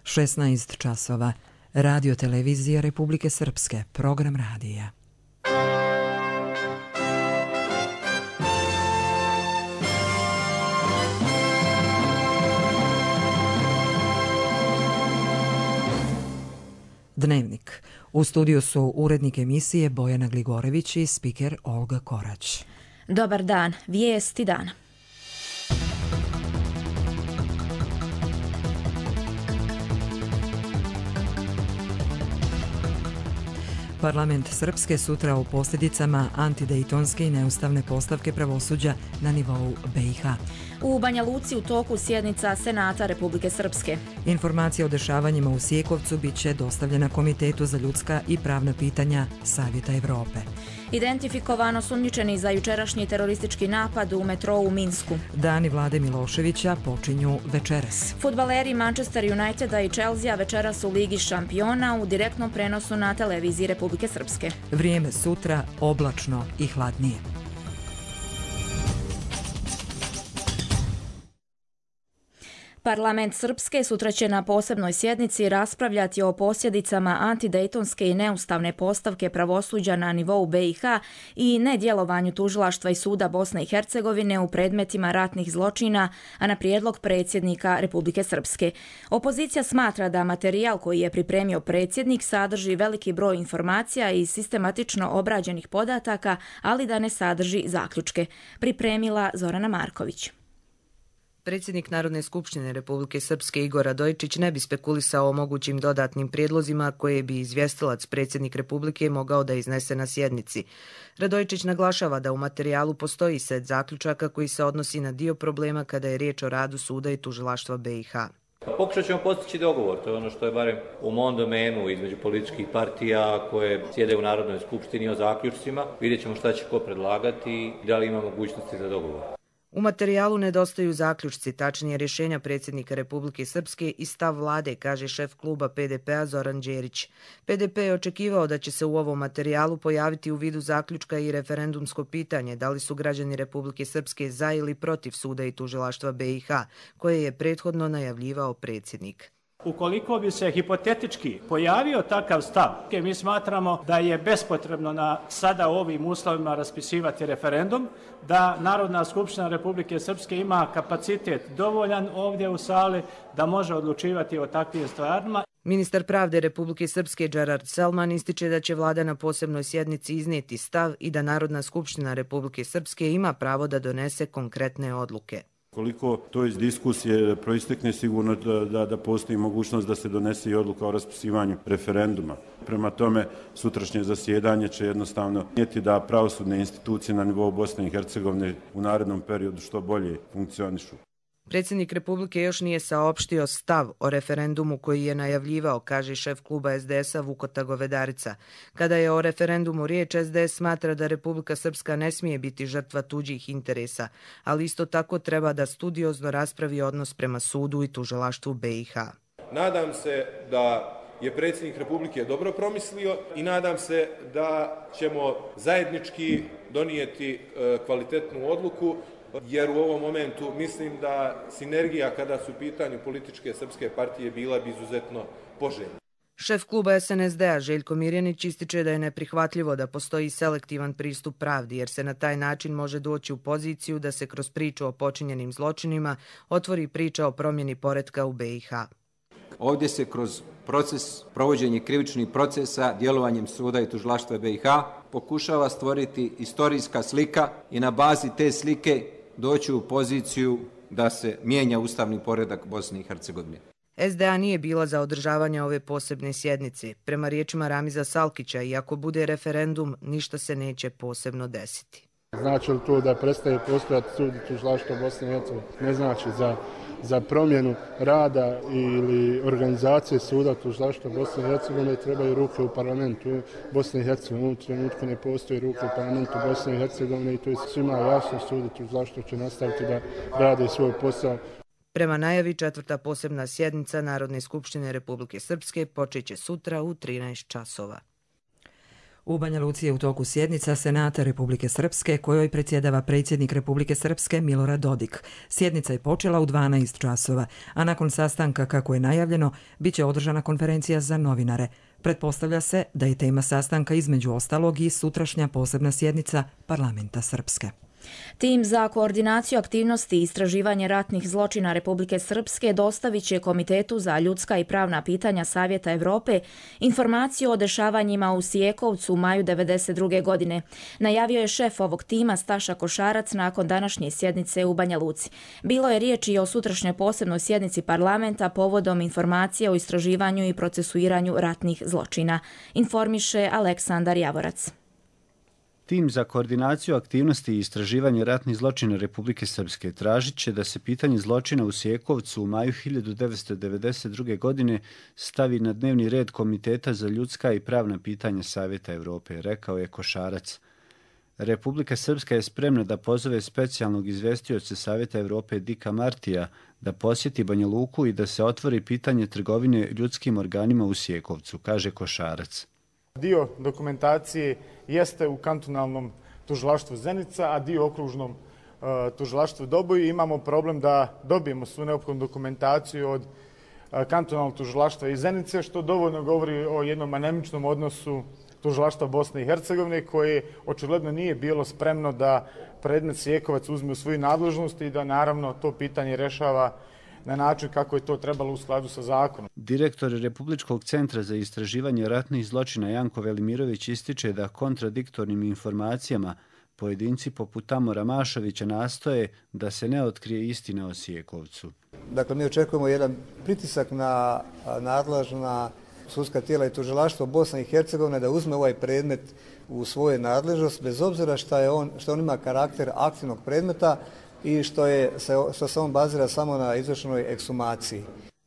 16 časova. Radio televizija Republike Srpske. Program radija. Dnevnik. U studiju su urednik emisije Bojana Gligorević i spiker Olga Korać. Dobar dan, vijesti dana. Parlament Srpske sutra o posljedicama antidejtonske i neustavne postavke pravosuđa na nivou BiH. U Banja Luci u toku sjednica Senata Republike Srpske. Informacija o dešavanjima u Sjekovcu bit će dostavljena Komitetu za ljudska i pravna pitanja Savjeta Evrope. Identifikovano sumnjičeni za jučerašnji teroristički napad u metrou u Minsku. Dani Vlade Miloševića počinju večeras. Fudbaleri Manchester Uniteda i Chelsea večeras u Ligi šampiona u direktnom prenosu na televiziji Republike Srpske. Vrijeme sutra oblačno i hladnije. Parlament Srpske sutra će na posebnoj sjednici raspravljati o posljedicama antidejtonske i neustavne postavke pravosuđa na nivou BiH i nedjelovanju tužilaštva i suda Bosne i Hercegovine u predmetima ratnih zločina, a na prijedlog predsjednika Republike Srpske. Opozicija smatra da materijal koji je pripremio predsjednik sadrži veliki broj informacija i sistematično obrađenih podataka, ali da ne sadrži zaključke. Pripremila Zorana Marković. Predsjednik Narodne skupštine Republike Srpske Igor Radojičić ne bi spekulisao o mogućim dodatnim prijedlozima koje bi izvjestilac predsjednik Republike mogao da iznese na sjednici. Radojičić naglašava da u materijalu postoji set zaključaka koji se odnosi na dio problema kada je riječ o radu suda i tužilaštva BiH. Pokušat ćemo postići dogovor, to je ono što je barem u mom domenu između političkih partija koje sjede u Narodnoj skupštini o zaključcima. Vidjet ćemo šta će ko predlagati i da li ima mogućnosti za dogovor. U materijalu nedostaju zaključci, tačnije rješenja predsjednika Republike Srpske i stav vlade, kaže šef kluba PDP-a Zoran Đerić. PDP je očekivao da će se u ovom materijalu pojaviti u vidu zaključka i referendumsko pitanje da li su građani Republike Srpske za ili protiv suda i tužilaštva BiH, koje je prethodno najavljivao predsjednik. Ukoliko bi se hipotetički pojavio takav stav, mi smatramo da je bespotrebno na sada ovim uslovima raspisivati referendum, da Narodna skupština Republike Srpske ima kapacitet dovoljan ovdje u sali da može odlučivati o takvim stvarima. Ministar pravde Republike Srpske Džerard Selman ističe da će vlada na posebnoj sjednici iznijeti stav i da Narodna skupština Republike Srpske ima pravo da donese konkretne odluke. Koliko to iz diskusije proistekne, sigurno da postoji mogućnost da se donese i odluka o raspisivanju referenduma. Prema tome, sutrašnje zasjedanje će jednostavno nijeti da pravosudne institucije na nivou Bosne i Hercegovine u narednom periodu što bolje funkcionišu. Predsjednik Republike još nije saopštio stav o referendumu koji je najavljivao, kaže šef kluba SDS-a Vukota Govedarica. Kada je o referendumu riječ, SDS smatra da Republika Srpska ne smije biti žrtva tuđih interesa, ali isto tako treba da studiozno raspravi odnos prema sudu i tužilaštvu BiH. Nadam se da je predsjednik Republike dobro promislio i nadam se da ćemo zajednički donijeti kvalitetnu odluku, jer u ovom momentu mislim da sinergija kada su u pitanju političke srpske partije bila bi izuzetno poželjna. Šef kluba SNSD-a Željko Mirjanić ističe da je neprihvatljivo da postoji selektivan pristup pravdi, jer se na taj način može doći u poziciju da se kroz priču o počinjenim zločinima otvori priča o promjeni poretka u BiH. Ovdje se kroz proces provođenja krivičnih procesa djelovanjem suda i tužilaštva BiH pokušava stvoriti istorijska slika i na bazi te slike doći u poziciju da se mijenja ustavni poredak Bosne i Hercegovine. SDA nije bila za održavanje ove posebne sjednice. Prema riječima Ramiza Salkića, i ako bude referendum, ništa se neće posebno desiti. Znači li to da prestaje postojati sud i tužilaštvo Bosne i Hercegovine? Ne znači za promjenu rada ili organizacije suda tužilaštva Bosne i Hercegovine trebaju ruke u parlamentu Bosne i Hercegovine. U trenutku ne postoji ruke u parlamentu Bosne i Hercegovine i to je svima jasno, sud i tužilaštvo će nastaviti da rade svoj posao. Prema najavi, 4. posebna sjednica Narodne skupštine Republike Srpske počeće sutra u 13 časova. U Banja Luci je u toku sjednica Senata Republike Srpske kojoj predsjedava predsjednik Republike Srpske Milorad Dodik. Sjednica je počela u 12 časova, a nakon sastanka, kako je najavljeno, bit će održana konferencija za novinare. Pretpostavlja se da je tema sastanka između ostalog i sutrašnja posebna sjednica Parlamenta Srpske. Tim za koordinaciju aktivnosti i istraživanje ratnih zločina Republike Srpske dostavit će Komitetu za ljudska i pravna pitanja Savjeta Evrope informaciju o dešavanjima u Sijekovcu u maju 1992. godine. Najavio je šef ovog tima Staša Košarac nakon današnje sjednice u Banja Luci. Bilo je riječ i o sutrašnjoj posebnoj sjednici parlamenta povodom informacije o istraživanju i procesuiranju ratnih zločina. Informiše Aleksandar Javorac. Tim za koordinaciju aktivnosti i istraživanje ratnih zločina Republike Srpske tražit će da se pitanje zločina u Sijekovcu u maju 1992. godine stavi na dnevni red Komiteta za ljudska i pravna pitanja Savjeta Evrope, rekao je Košarac. Republika Srpska je spremna da pozove specijalnog izvestioca Savjeta Evrope Dika Martija da posjeti Banja Luku i da se otvori pitanje trgovine ljudskim organima u Sijekovcu, kaže Košarac. Dio dokumentacije jeste u kantonalnom tužilaštvu Zenica, a dio okružnom tužilaštvu Doboj. Imamo problem da dobijemo svu neophodnu dokumentaciju od kantonalnog tužilaštva iz Zenice, što dovoljno govori o jednom anemičnom odnosu tužilaštva Bosne i Hercegovine, koje očigledno nije bilo spremno da predmet Sijekovac uzme u svoju nadležnost i da naravno to pitanje rešava na način kako je to trebalo u skladu sa zakonom. Direktor Republičkog centra za istraživanje ratnih zločina Janko Velimirović ističe da kontradiktornim informacijama pojedinci poput Tamora Mašovića nastoje da se ne otkrije istina o Sijekovcu. Dakle, mi očekujemo jedan pritisak na nadležna sudska tijela i tužilaštvo Bosne i Hercegovine da uzme ovaj predmet u svoju nadležnost, bez obzira što on ima karakter aktivnog predmeta i što se on bazira samo na izvršenoj ekshumaciji.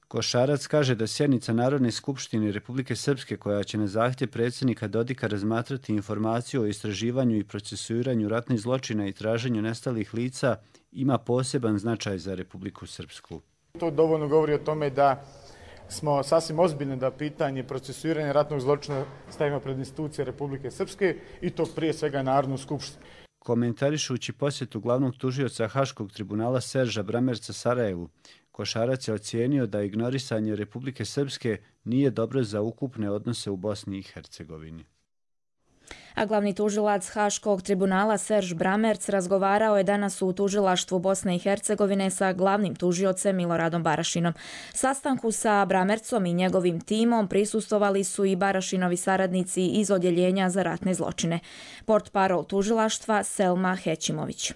Košarac kaže da sjednica Narodne skupštine Republike Srpske, koja će na zahtjev predsjednika Dodika razmatrati informaciju o istraživanju i procesuiranju ratnih zločina i traženju nestalih lica, ima poseban značaj za Republiku Srpsku. To dovoljno govori o tome da smo sasvim ozbiljni da pitanje procesuiranja ratnog zločina stavimo pred institucije Republike Srpske i to prije svega Narodnu skupštinu. Komentarišući posjetu glavnog tužioca Haškog tribunala Serža Bramerca Sarajevu, Košarac je ocijenio da ignorisanje Republike Srpske nije dobro za ukupne odnose u Bosni i Hercegovini. A glavni tužilac Haškog tribunala Serž Bramerc razgovarao je danas u tužilaštvu Bosne i Hercegovine sa glavnim tužiocem Miloradom Barašinom. Sastanku sa Bramercom i njegovim timom prisustvovali su i Barašinovi saradnici iz Odjeljenja za ratne zločine. Portparol tužilaštva Selma Hećimović.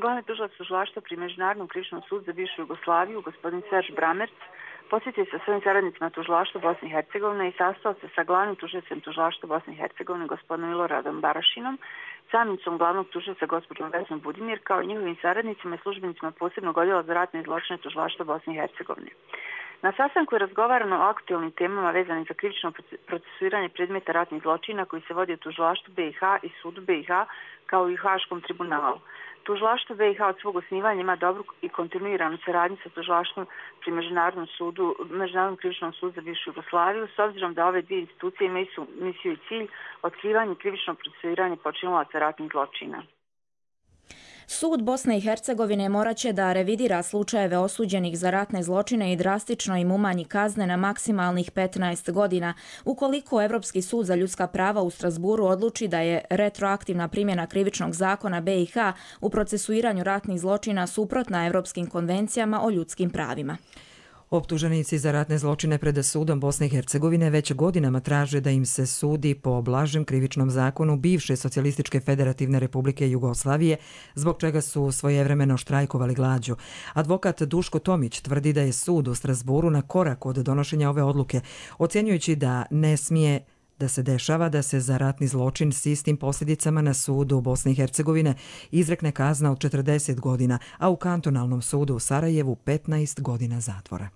Glavni tužilac tužilaštva pri Međunarodnom krivičnom sudu za bivšu Jugoslaviju, gospodin Serž Bramerc, posjetio se sa svojim saradnicima tužilaštva Bosne i Hercegovine i sastao se sa glavnim tužiocem tužilaštva Bosne i Hercegovine, gospodinom Miloradom Barašinom, zamjenicom glavnog tužioca gospođom Vesnom Budimir, kao i njihovim saradnicima i službenicima posebnog odjela za ratne zločine tužilaštva Bosne i Hercegovine. Na sastanku je razgovarano o aktualnim temama vezanim za krivično procesuiranje predmeta ratnih zločina koji se vodi u tužilaštvu BiH i sudu BiH, kao i u Haškom tribunalu. Tužilaštvo BiH od svog osnivanja ima dobru i kontinuiranu saradnju sa tužilaštvom pri Međunarodnom krivičnom sudu za bivšu Jugoslaviju, s obzirom da ove dvije institucije imaju misiju i cilj otkrivanje i krivično procesuiranje počinilaca ratnih zločina. Sud Bosne i Hercegovine morat će da revidira slučajeve osuđenih za ratne zločine i drastično im umanji kazne na maksimalnih 15 godina, ukoliko Evropski sud za ljudska prava u Strasburu odluči da je retroaktivna primjena krivičnog zakona BiH u procesuiranju ratnih zločina suprotna Evropskim konvencijama o ljudskim pravima. Optuženici za ratne zločine pred sudom Bosne i Hercegovine već godinama traže da im se sudi po blažem krivičnom zakonu bivše Socijalističke federativne republike Jugoslavije, zbog čega su svojevremeno štrajkovali glađu. Advokat Duško Tomić tvrdi da je sud u Strasburu na korak od donošenja ove odluke, ocjenjujući da ne smije da se dešava da se za ratni zločin s istim posljedicama na sudu Bosne i Hercegovine izrekne kazna od 40 godina, a u kantonalnom sudu u Sarajevu 15 godina zatvora.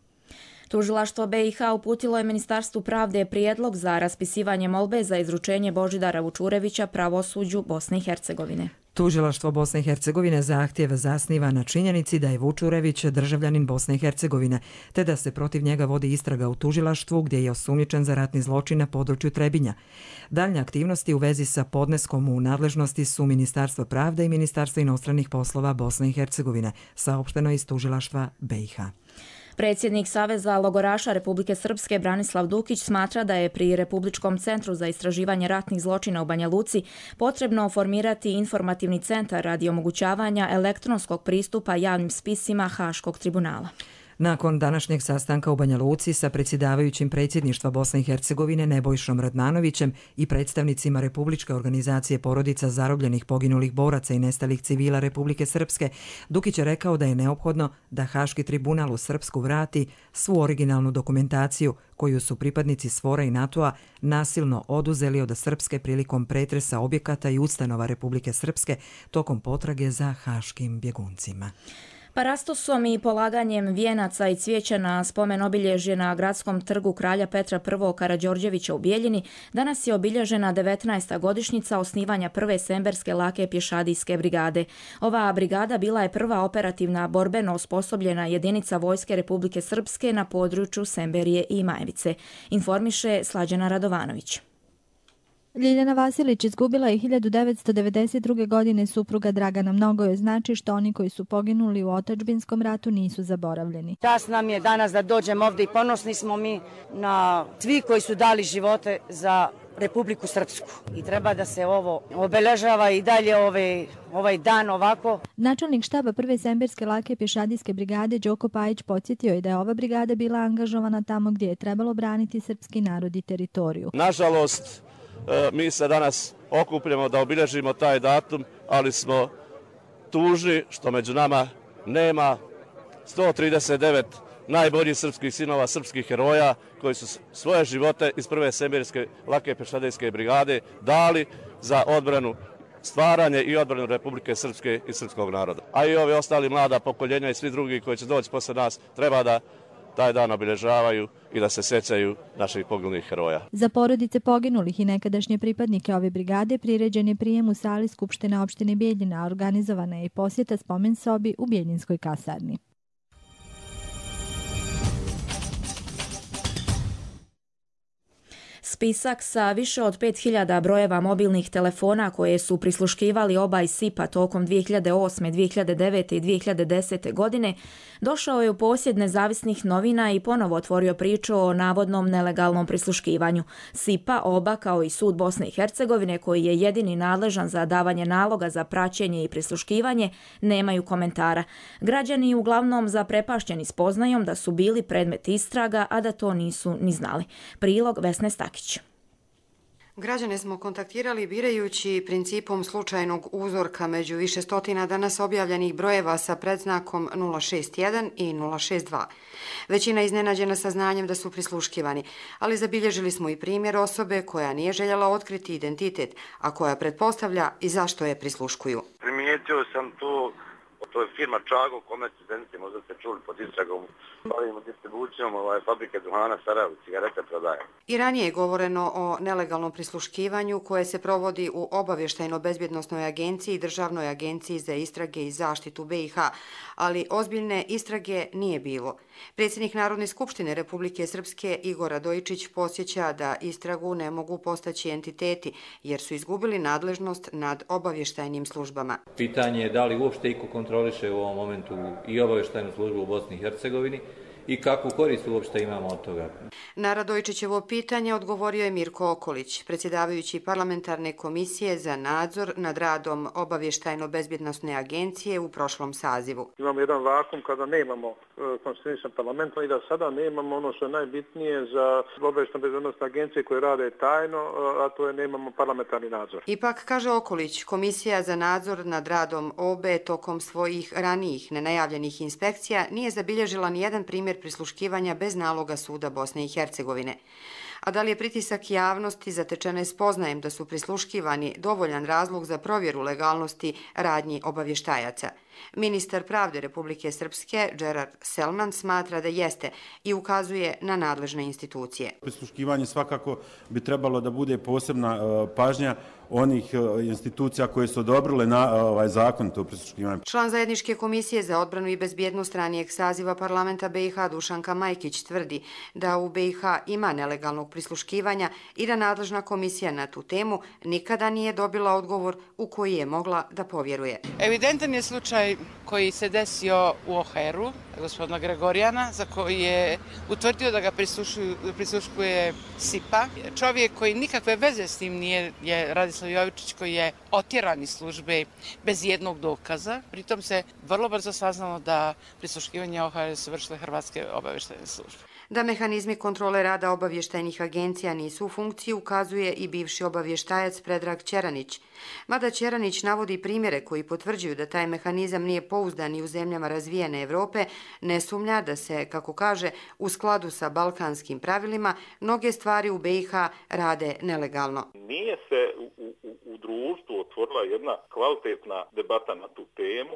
Tužilaštvo BiH uputilo je Ministarstvu pravde prijedlog za raspisivanje molbe za izručenje Božidara Vučurevića pravosuđu Bosne i Hercegovine. Tužilaštvo Bosne i Hercegovine zahtjev zasniva na činjenici da je Vučurević državljanin Bosne i Hercegovine, te da se protiv njega vodi istraga u tužilaštvu gdje je osumnjičen za ratni zločin na području Trebinja. Daljnje aktivnosti u vezi sa podneskom u nadležnosti su Ministarstvo pravde i Ministarstvo inostranih poslova Bosne i Hercegovine, saopšteno iz tužilaštva BiH. Predsjednik Saveza logoraša Republike Srpske Branislav Dukić smatra da je pri Republičkom centru za istraživanje ratnih zločina u Banja Luci potrebno formirati informativni centar radi omogućavanja elektronskog pristupa javnim spisima Haškog tribunala. Nakon današnjeg sastanka u Banja Luci sa predsjedavajućim predsjedništva Bosne i Hercegovine Nebojšom Radmanovićem i predstavnicima Republičke organizacije porodica zarobljenih poginulih boraca i nestalih civila Republike Srpske, Dukić je rekao da je neophodno da Haški tribunal u Srpsku vrati svu originalnu dokumentaciju koju su pripadnici SFOR-a i NATO-a nasilno oduzeli od Srpske prilikom pretresa objekata i ustanova Republike Srpske tokom potrage za haškim bjeguncima. Parastosom i polaganjem vijenaca i cvijeća na spomen obilježje na gradskom trgu kralja Petra I. Karađorđevića u Bijeljini danas je obilježena 19. godišnjica osnivanja prve semberske lake pješadijske brigade. Ova brigada bila je prva operativna borbeno osposobljena jedinica Vojske Republike Srpske na području Semberije i Majevice, informiše Slađana Radovanović. Ljiljana Vasilić izgubila je 1992. godine supruga Dragana. Mnogo joj znači što oni koji su poginuli u otadžbinskom ratu nisu zaboravljeni. Čast nam je danas da dođemo ovdje i ponosni smo mi na svi koji su dali živote za Republiku Srpsku. I treba da se ovo obeležava i dalje ovaj dan ovako. Načelnik štaba prve semberske lake pješadijske brigade Đoko Pajić podsjetio je da je ova brigada bila angažovana tamo gdje je trebalo braniti srpski narod i teritoriju. Nažalost, mi se danas okupljamo da obilježimo taj datum, ali smo tužni što među nama nema 139 najboljih srpskih sinova, srpskih heroja koji su svoje živote iz prve semberske lake pješadijske brigade dali za odbranu, stvaranje i odbranu Republike Srpske i srpskog naroda. A i ovi ostali mlada pokoljenja i svi drugi koji će doći posle nas treba da taj dan obilježavaju i da se sjećaju naših poginulih heroja. Za porodice poginulih i nekadašnje pripadnike ove brigade priređen je prijem u sali Skupštine opštine Bijeljina, organizovana je i posjeta spomen sobi u Bijeljinskoj kasarni. Spisak sa više od 5000 brojeva mobilnih telefona koje su prisluškivali oba iz SIP-a tokom 2008., 2009. i 2010. godine došao je u posjed nezavisnih novina i ponovo otvorio priču o navodnom nelegalnom prisluškivanju. SIP-a, oba kao i Sud Bosne i Hercegovine, koji je jedini nadležan za davanje naloga za praćenje i prisluškivanje, nemaju komentara. Građani uglavnom zaprepašćeni spoznajom da su bili predmet istraga, a da to nisu ni znali. Prilog Vesne Stakić. Građane smo kontaktirali birajući principom slučajnog uzorka među više stotina danas objavljenih brojeva sa predznakom 061 i 062. Većina iznenađena saznanjem da su prisluškivani, ali zabilježili smo i primjer osobe koja nije željela otkriti identitet, a koja pretpostavlja i zašto je prisluškuju. Primijetio sam to je firma Čago, komerci Zenice, možda ste čuli pod istragom. Bavimo distribucijom fabrike duhana Sarajevo, cigarete prodaje. I ranije je govoreno o nelegalnom prisluškivanju koje se provodi u Obavještajno-bezbjednosnoj agenciji i Državnoj agenciji za istrage i zaštitu BiH, ali ozbiljne istrage nije bilo. Predsjednik Narodne skupštine Republike Srpske Igor Radojičić podsjeća da istragu ne mogu postaći entiteti jer su izgubili nadležnost nad obavještajnim službama. Pitanje je da li uopšte iko kontroliše u ovom momentu i obavještajnu službu u Bosni i Hercegovini i kakvu korist uopšte imamo od toga. Na Radojičićevo pitanje odgovorio je Mirko Okolić, predsjedavajući parlamentarne komisije za nadzor nad radom Obavještajno-bezbjednosne agencije u prošlom sazivu. Imamo jedan vakum kada nemamo konstituisan parlament i da sada nemamo ono što je najbitnije za Obavještajno-bezbjednosne agencije koje rade tajno, a to je nemamo parlamentarni nadzor. Ipak, kaže Okolić, Komisija za nadzor nad radom OBE tokom svojih ranijih nenajavljenih inspekcija nije zabilježila ni jedan primjer prisluškivanja bez naloga Suda Bosne i Hercegovine. A da li je pritisak javnosti zatečene spoznajem da su prisluškivani dovoljan razlog za provjeru legalnosti radnji obavještajaca? Ministar pravde Republike Srpske, Gerard Selman, smatra da jeste i ukazuje na nadležne institucije. Prisluškivanje svakako bi trebalo da bude posebna pažnja onih institucija koje su odobrile zakonito prisluškivanje. Član Zajedničke komisije za odbranu i bezbjednost ranijeg saziva parlamenta BiH Dušanka Majkić tvrdi da u BiH ima nelegalnog prisluškivanja i da nadležna komisija na tu temu nikada nije dobila odgovor u koji je mogla da povjeruje. Evidentan je slučaj koji se desio u OHR-u, gospodina Gregorijana, za koji je utvrdio da ga prisluškuje SIPA. Čovjek koji nikakve veze s tim nije je Radislav Jovičić, koji je otjeran iz službe bez jednog dokaza. Pritom se vrlo brzo saznalo da prisluškivanje OHR su vršile hrvatske obavještajne službe. Da mehanizmi kontrole rada obavještajnih agencija nisu u funkciji ukazuje i bivši obavještajac Predrag Ćeranić. Mada Ćeranić navodi primjere koji potvrđuju da taj mehanizam nije pouzdan i u zemljama razvijene Evrope, ne sumnja da se, kako kaže, u skladu sa balkanskim pravilima, mnoge stvari u BiH rade nelegalno. Nije se u društvu otvorila jedna kvalitetna debata na tu temu,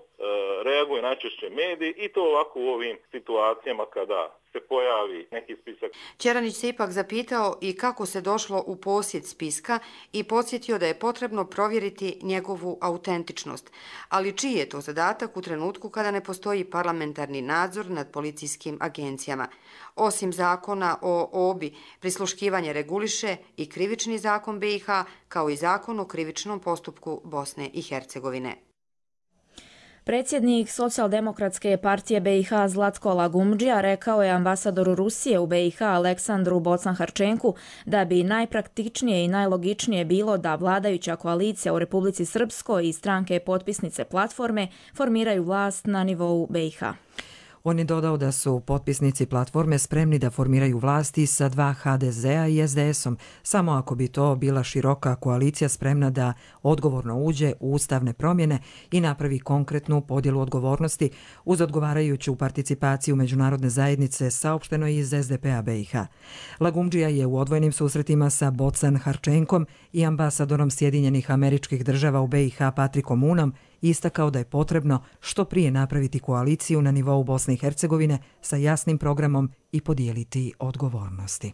reaguje najčešće mediji i to ovako u ovim situacijama kada se pojavi neki spisak. Ćeranić se ipak zapitao i kako se došlo u posjed spiska i podsjetio da je potrebno provjeriti njegovu autentičnost. Ali čiji je to zadatak u trenutku kada ne postoji parlamentarni nadzor nad policijskim agencijama? Osim zakona o OBI, prisluškivanje reguliše i krivični zakon BiH, kao i zakon o krivičnom postupku Bosne i Hercegovine. Predsjednik Socijaldemokratske partije BiH Zlatko Lagumdžija rekao je ambasadoru Rusije u BiH Aleksandru Bocan-Harčenku da bi najpraktičnije i najlogičnije bilo da vladajuća koalicija u Republici Srpskoj i stranke potpisnice platforme formiraju vlast na nivou BiH. On je dodao da su potpisnici platforme spremni da formiraju vlasti sa 2 HDZ-a i SDS-om, samo ako bi to bila široka koalicija spremna da odgovorno uđe u ustavne promjene i napravi konkretnu podjelu odgovornosti uz odgovarajuću participaciju međunarodne zajednice, saopšteno iz SDP-a BiH. Lagumdžija je u odvojenim susretima sa Bocan-Harčenkom i ambasadorom Sjedinjenih Američkih Država u BiH Patrikom Unom istakao da je potrebno što prije napraviti koaliciju na nivou Bosne i Hercegovine sa jasnim programom i podijeliti odgovornosti.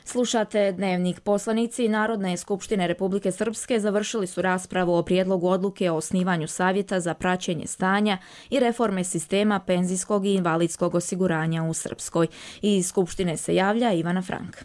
Slušate Dnevnik. Poslanici Narodne skupštine Republike Srpske završili su raspravu o prijedlogu odluke o osnivanju savjeta za praćenje stanja i reforme sistema penzijskog i invalidskog osiguranja u Srpskoj. Iz skupštine se javlja Ivana Frank.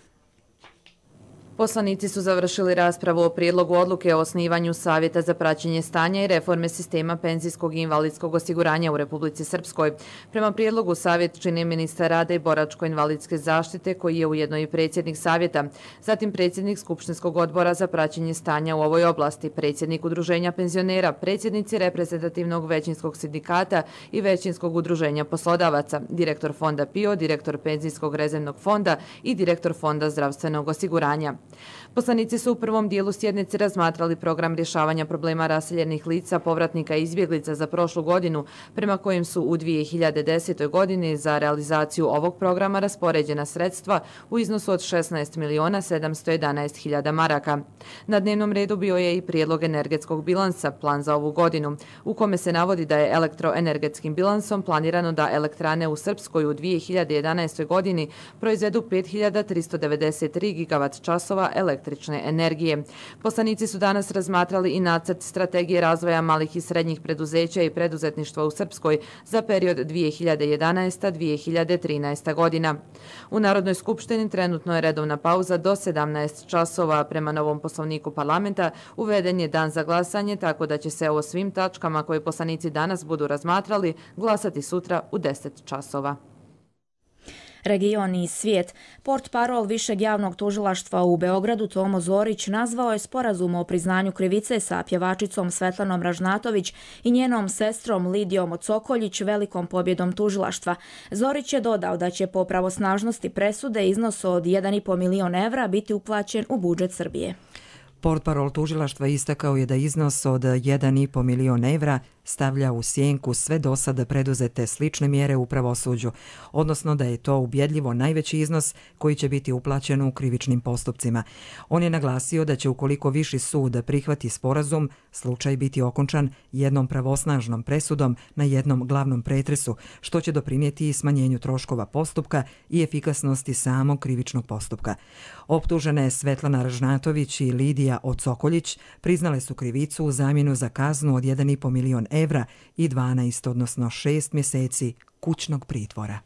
Poslanici su završili raspravu o prijedlogu odluke o osnivanju Savjeta za praćenje stanja i reforme sistema penzijskog i invalidskog osiguranja u Republici Srpskoj. Prema prijedlogu Savjet čini ministar rada i boračko-invalidske zaštite, koji je ujedno i predsjednik Savjeta, zatim predsjednik Skupštinskog odbora za praćenje stanja u ovoj oblasti, predsjednik Udruženja penzionera, predsjednici reprezentativnog većinskog sindikata i većinskog udruženja poslodavaca, direktor fonda PIO, direktor penzijskog rezervnog fonda i direktor fonda zdravstvenog osiguranja. Poslanici su u prvom dijelu sjednice razmatrali program rješavanja problema raseljenih lica, povratnika i izbjeglica za prošlu godinu, prema kojim su u 2010. godini za realizaciju ovog programa raspoređena sredstva u iznosu od 16.711.000 maraka. Na dnevnom redu bio je i prijedlog energetskog bilansa, plan za ovu godinu, u kome se navodi da je elektroenergetskim bilansom planirano da elektrane u Srpskoj u 2011. godini proizvedu 5.393 gigavat časova električne energije. Poslanici su danas razmatrali i nacrt strategije razvoja malih i srednjih preduzeća i preduzetništva u Srpskoj za period 2011-2013 godina. U Narodnoj skupštini trenutno je redovna pauza do 17 časova. Prema novom poslovniku parlamenta uveden je dan za glasanje, tako da će se o svim tačkama koje poslanici danas budu razmatrali glasati sutra u 10 časova. Region i svijet. Portparol Višeg javnog tužilaštva u Beogradu Tomo Zorić nazvao je sporazum o priznanju krivice sa pjevačicom Svetlanom Ražnatović i njenom sestrom Lidijom Cokoljić velikom pobjedom tužilaštva. Zorić je dodao da će po pravosnažnosti presude iznos od 1,5 milion evra biti uplaćen u budžet Srbije. Portparol tužilaštva istakao je da iznos od 1,5 milion evra stavlja u sjenku sve do sada preduzete slične mjere u pravosuđu, odnosno da je to ubjedljivo najveći iznos koji će biti uplaćen u krivičnim postupcima. On je naglasio da će ukoliko Viši sud prihvati sporazum, slučaj biti okončan jednom pravosnažnom presudom na jednom glavnom pretresu, što će doprinijeti i smanjenju troškova postupka i efikasnosti samog krivičnog postupka. Optužene Svetlana Ražnatović i Lidija Ocokoljić priznale su krivicu u zamjenu za kaznu od 1,5 milion evra i 12, odnosno 6 mjeseci kućnog pritvora.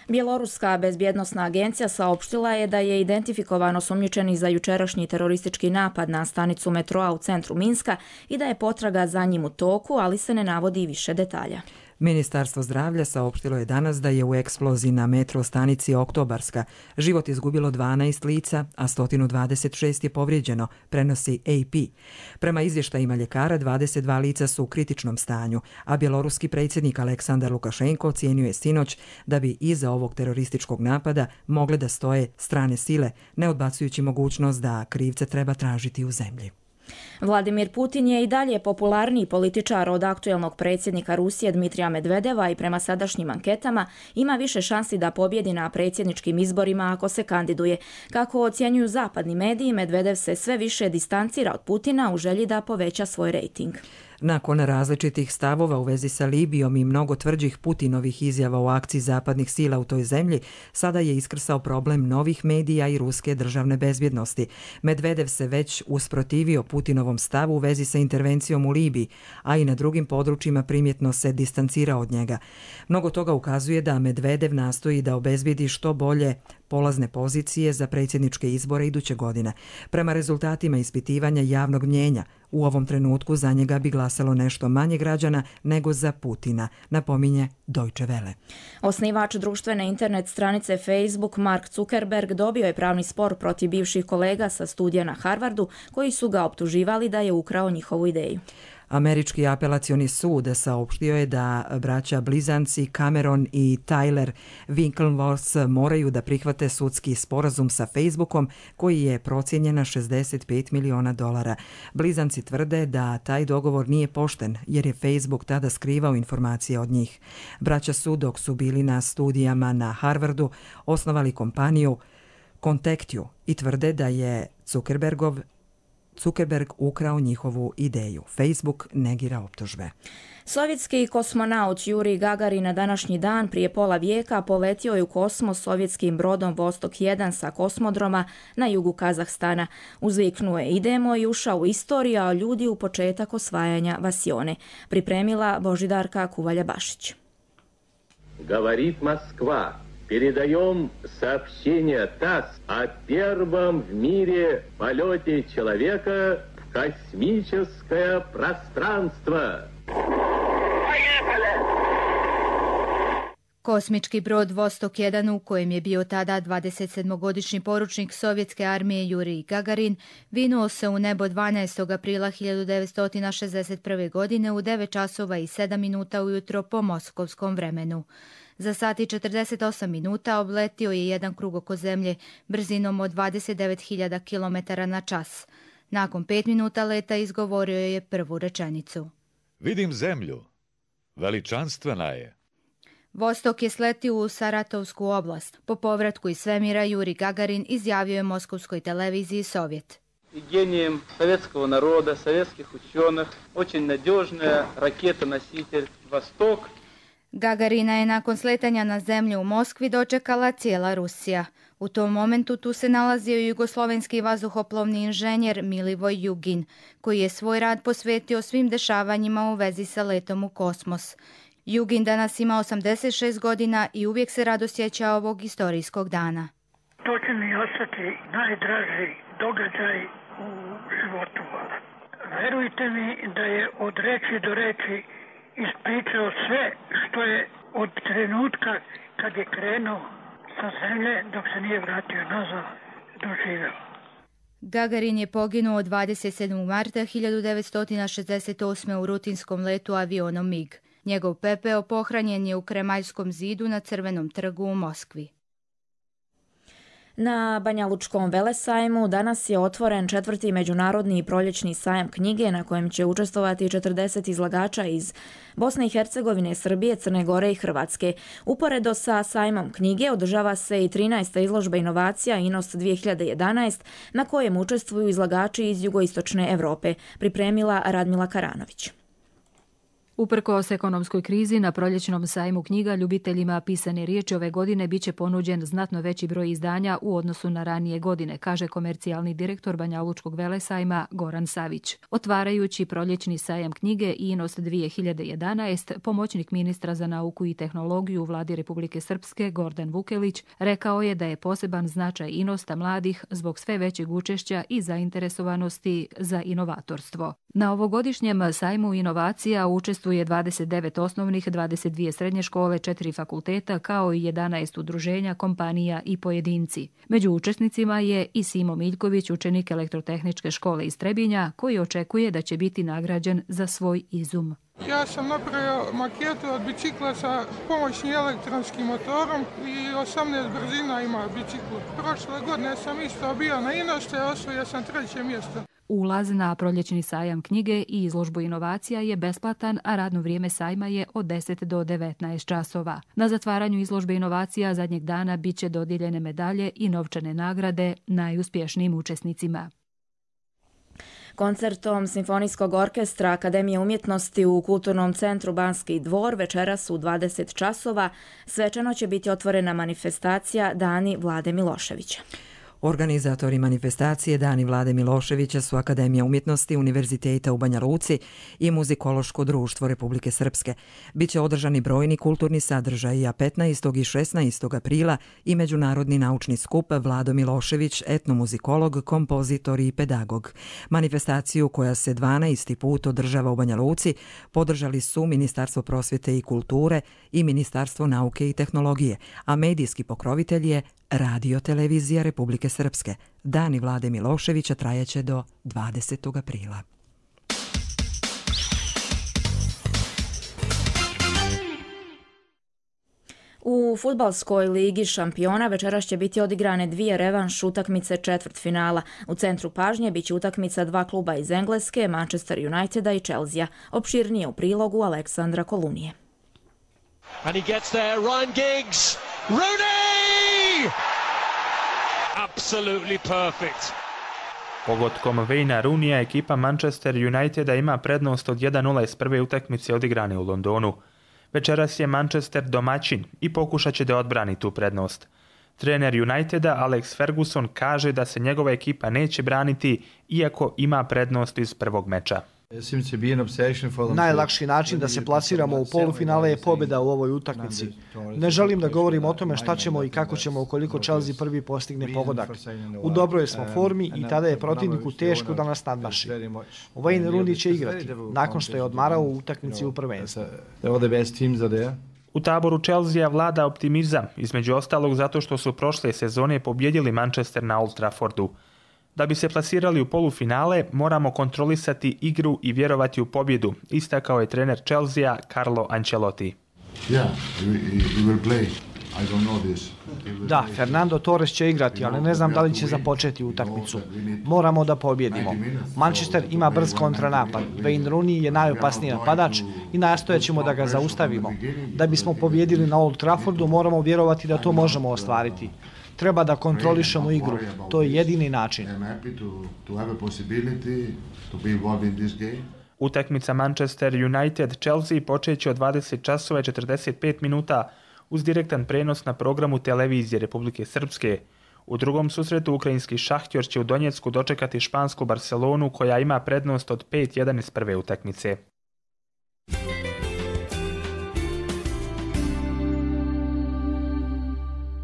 Bjeloruska bezbjednosna agencija saopštila je da je identifikovano osumnjičeni za jučerašnji teroristički napad na stanicu metroa u centru Minska i da je potraga za njim u toku, ali se ne navodi više detalja. Ministarstvo zdravlja saopštilo je danas da je u eksploziji na metro stanici Oktobarska život izgubilo 12 lica, a 126 je povrijeđeno, prenosi AP. Prema izvještajima ljekara, 22 lica su u kritičnom stanju, a bjeloruski predsjednik Aleksandar Lukašenko ocijenio je sinoć da bi iza ovog terorističkog napada mogle da stoje strane sile, ne odbacujući mogućnost da krivce treba tražiti u zemlji. Vladimir Putin je i dalje popularniji političar od aktuelnog predsjednika Rusije Dmitrija Medvedeva i prema sadašnjim anketama ima više šansi da pobjedi na predsjedničkim izborima ako se kandiduje. Kako ocjenjuju zapadni mediji, Medvedev se sve više distancira od Putina u želji da poveća svoj rejting. Nakon različitih stavova u vezi sa Libijom i mnogo tvrđih Putinovih izjava o akciji zapadnih sila u toj zemlji, sada je iskrsao problem novih medija i ruske državne bezbjednosti. Medvedev se već usprotivio Putinovom stavu u vezi sa intervencijom u Libiji, a i na drugim područjima primjetno se distancirao od njega. Mnogo toga ukazuje da Medvedev nastoji da obezbijedi što bolje polazne pozicije za predsjedničke izbore iduće godine. Prema rezultatima ispitivanja javnog mnjenja, u ovom trenutku za njega bi glasalo nešto manje građana nego za Putina, napominje Deutsche Welle. Osnivač društvene internet stranice Facebook Mark Zuckerberg dobio je pravni spor protiv bivših kolega sa studija na Harvardu koji su ga optuživali da je ukrao njihovu ideju. Američki apelacioni sud saopštio je da braća blizanci Cameron i Tyler Winklevoss moraju da prihvate sudski sporazum sa Facebookom koji je procijenjen na $65 miliona. Blizanci tvrde da taj dogovor nije pošten jer je Facebook tada skrivao informacije od njih. Braća su, dok su bili na studijama na Harvardu, osnovali kompaniju Contactio i tvrde da je Zuckerberg ukrao njihovu ideju. Facebook negira optužbe. Sovjetski kosmonaut Jurij Gagarin na današnji dan prije pola vijeka poletio je u kosmos sovjetskim brodom Vostok 1 sa kosmodroma na jugu Kazahstana. Uzviknuo je idemo i ušao u istoriju, a ljudi u početak osvajanja Vasione. Pripremila Božidarka Kuvalja-Bašić. Говорит Москва. Передаем сообщение ТАСС о первом в мире полете человека в космическое пространство. Kosmički brod Vostok 1 u kojem je bio tada 27-godišnji poručnik sovjetske armije Jurij Gagarin vinuo se u nebo 12. aprila 1961. godine u 9 časova i 7 minuta ujutro po moskovskom vremenu. Za sat i 48 minuta obletio je jedan krug oko zemlje brzinom od 29.000 km na čas. Nakon 5 minuta leta izgovorio je prvu rečenicu. Vidim zemlju. Veličanstvena je. Vostok je sletio u Saratovsku oblast. Po povratku iz svemira Jurij Gagarin izjavio je moskovskoj televiziji Sovjet. И гением советского народа, советских ученых, очень надежная ракета-носитель «Восток». Gagarina je nakon sletanja na zemlju u Moskvi dočekala cijela Rusija. U tom momentu tu se nalazio i jugoslovenski vazduhoplovni inženjer Milivoj Jugin, koji je svoj rad posvetio svim dešavanjima u vezi sa letom u kosmos. Jugin danas ima 86 godina i uvijek se rado sjeća ovog istorijskog dana. To će mi ostati najdraži događaj u životu. Verujte mi da je od reči do reči ispričao sve što je od trenutka kad je krenuo sa zemlje dok se nije vratio nazad doživio. Gagarin je poginuo 27. marta 1968. u rutinskom letu avionom MiG. Njegov pepeo pohranjen je u Kremaljskom zidu na Crvenom trgu u Moskvi. Na Banjalučkom velesajmu danas je otvoren 4. međunarodni proljećni sajam knjige na kojem će učestvovati 40 izlagača iz Bosne i Hercegovine, Srbije, Crne Gore i Hrvatske. Uporedo sa sajmom knjige održava se i 13. izložba inovacija INOST 2011 na kojem učestvuju izlagači iz jugoistočne Europe, pripremila Radmila Karanović. Uprkos ekonomskoj krizi, na proljećnom sajmu knjiga ljubiteljima pisane riječi ove godine biće ponuđen znatno veći broj izdanja u odnosu na ranije godine, kaže komercijalni direktor Banjalučkog velesajma Goran Savić. Otvarajući proljećni sajam knjige INOST 2011, pomoćnik ministra za nauku i tehnologiju u vladi Republike Srpske Gordan Vukelić rekao je da je poseban značaj INOSTA mladih zbog sve većeg učešća i zainteresovanosti za inovatorstvo. Na ovogodišnjem sajmu inovacija učestvuje 29 osnovnih, 22 srednje škole, 4 fakulteta kao i 11 udruženja, kompanija i pojedinci. Među učesnicima je i Simo Miljković, učenik Elektrotehničke škole iz Trebinja, koji očekuje da će biti nagrađen za svoj izum. Ja sam napravio maketu od bicikla sa pomoćnim elektronskim motorom i 18 brzina ima bicikl. Prošle godine sam isto bio na INOST-u, osvojio sam 3. mjesto. Ulaz na proljećni sajam knjige i izložbu inovacija je besplatan, a radno vrijeme sajma je od 10 do 19 časova. Na zatvaranju izložbe inovacija zadnjeg dana biće dodijeljene medalje i novčane nagrade najuspješnijim učesnicima. Koncertom Simfonijskog orkestra Akademije umjetnosti u Kulturnom centru Banski dvor večeras u 20 časova svečano će biti otvorena manifestacija Dani Vlade Miloševića. Organizatori manifestacije Dani Vlade Miloševića su Akademija umjetnosti Univerziteta u Banja Luci i Muzikološko društvo Republike Srpske. Biće održani brojni kulturni sadržaji, a 15. i 16. aprila i međunarodni naučni skup Vlado Milošević, etnomuzikolog, kompozitor i pedagog. Manifestaciju, koja se 12. put održava u Banja Luci, podržali su Ministarstvo prosvjete i kulture i Ministarstvo nauke i tehnologije, a medijski pokrovitelj je Radio Televizija Republike Srpske. Dani Vlade Miloševića trajaće do 20. aprila. U fudbalskoj ligi šampiona večeras će biti odigrane 2 revanš utakmice četvrtfinala. U centru pažnje biće utakmica 2 kluba iz Engleske, Manchester Uniteda i Chelsea. Opširnije u prilogu Aleksandra Kolunije. And he gets there, Ryan Giggs, Rooney! Absolutely perfect. Pogodkom Wayna Rooneya ekipa Manchester Uniteda ima prednost od 1-0 iz prve utakmice odigrane u Londonu. Večeras je Manchester domaćin i pokušat će da odbrani tu prednost. Trener Uniteda Alex Ferguson kaže da se njegova ekipa neće braniti iako ima prednost iz prvog meča. Najlakši način da se plasiramo u polufinale je pobjeda u ovoj utakmici. Ne želim da govorim o tome šta ćemo i kako ćemo ukoliko Chelsea prvi postigne pogodak. U dobroj smo formi i tada je protivniku teško da nas nadmaši. Wayne Rooney će igrati, nakon što je odmarao u utakmici u prvenstvu. U taboru Chelsea vlada optimizam, između ostalog zato što su prošle sezone pobjedili Manchester na Old Traffordu. Da bi se plasirali u polufinale, moramo kontrolisati igru i vjerovati u pobjedu, istakao je trener Chelsea Carlo Ancelotti. Da, Fernando Torres će igrati, ali ne znam da li će započeti utakmicu. Moramo da pobjedimo. Manchester ima brz kontranapad. Wayne Rooney je najopasniji napadač i nastojat ćemo da ga zaustavimo. Da bismo pobjedili na Old Traffordu, moramo vjerovati da to možemo ostvariti. Treba da kontrolišemo igru. To je jedini način. Utakmica Manchester United-Chelsea počeće od 20 časova i 45 minuta uz direktan prenos na programu Televizije Republike Srpske. U drugom susretu ukrajinski Šahtjor će u Donjecku dočekati špansku Barcelonu koja ima prednost od 5-1 iz prve utakmice.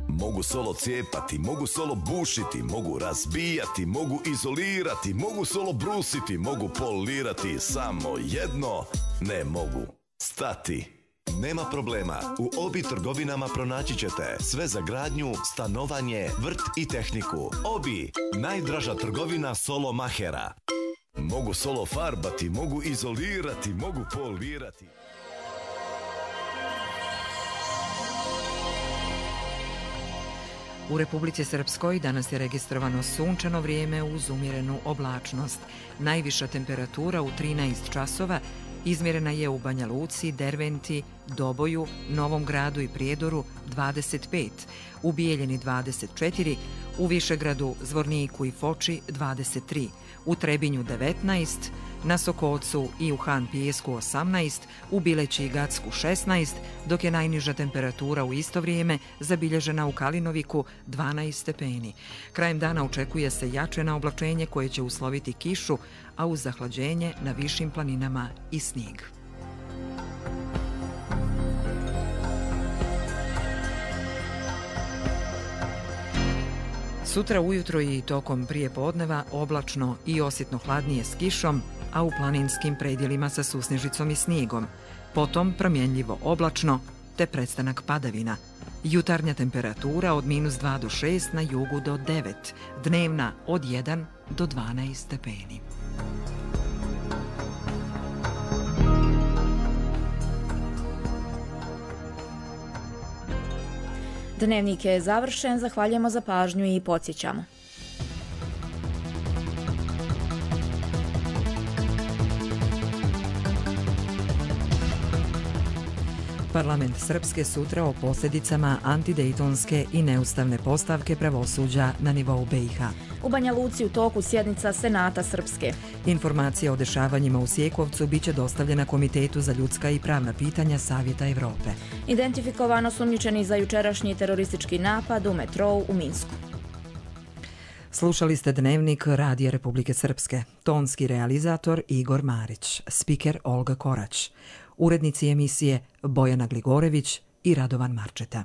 Mogu solo cijepati, mogu solo bušiti, mogu razbijati, mogu izolirati, mogu solo brusiti, mogu polirati, samo jedno ne mogu stati. Nema problema, u Obi trgovinama pronaći ćete sve za gradnju, stanovanje, vrt i tehniku. Obi, najdraža trgovina solo mahera. Mogu solo farbati, mogu izolirati, mogu polirati. U Republici Srpskoj danas je registrovano sunčano vrijeme uz umjerenu oblačnost. Najviša temperatura u 13 časova izmjerena je u Banja Luci, Derventi, Doboju, Novom Gradu i Prijedoru 25, u Bijeljini 24, u Višegradu, Zvorniku i Foči 23, u Trebinju 19, na Sokocu i u Han Pijesku 18, u Bileći i Gacku 16, dok je najniža temperatura u isto vrijeme zabilježena u Kalinoviku 12 stepeni. Krajem dana očekuje se jače oblačenje koje će usloviti kišu, a uz zahlađenje na višim planinama i snijeg. Sutra ujutro i tokom prijepodneva oblačno i osjetno hladnije s kišom, a u planinskim predjelima sa susnežicom i snijegom. Potom promjenljivo oblačno te prestanak padavina. Jutarnja temperatura od -2 do 6, na jugu do 9, dnevna od 1 do 12 stepeni. Dnevnik je završen, zahvaljujemo za pažnju i podsjećamo. Parlament Srpske sutra o posljedicama antidejtonske i neustavne postavke pravosuđa na nivou BiH. U Banja Luci u toku sjednica Senata Srpske. Informacija o dešavanjima u Sjekovcu biće dostavljena Komitetu za ljudska i pravna pitanja Savjeta Evrope. Identifikovano sumnjičeni za jučerašnji teroristički napad u metrou u Minsku. Slušali ste Dnevnik Radija Republike Srpske. Tonski realizator Igor Marić, spiker Olga Korać, urednici emisije Bojana Gligorević i Radovan Marčeta.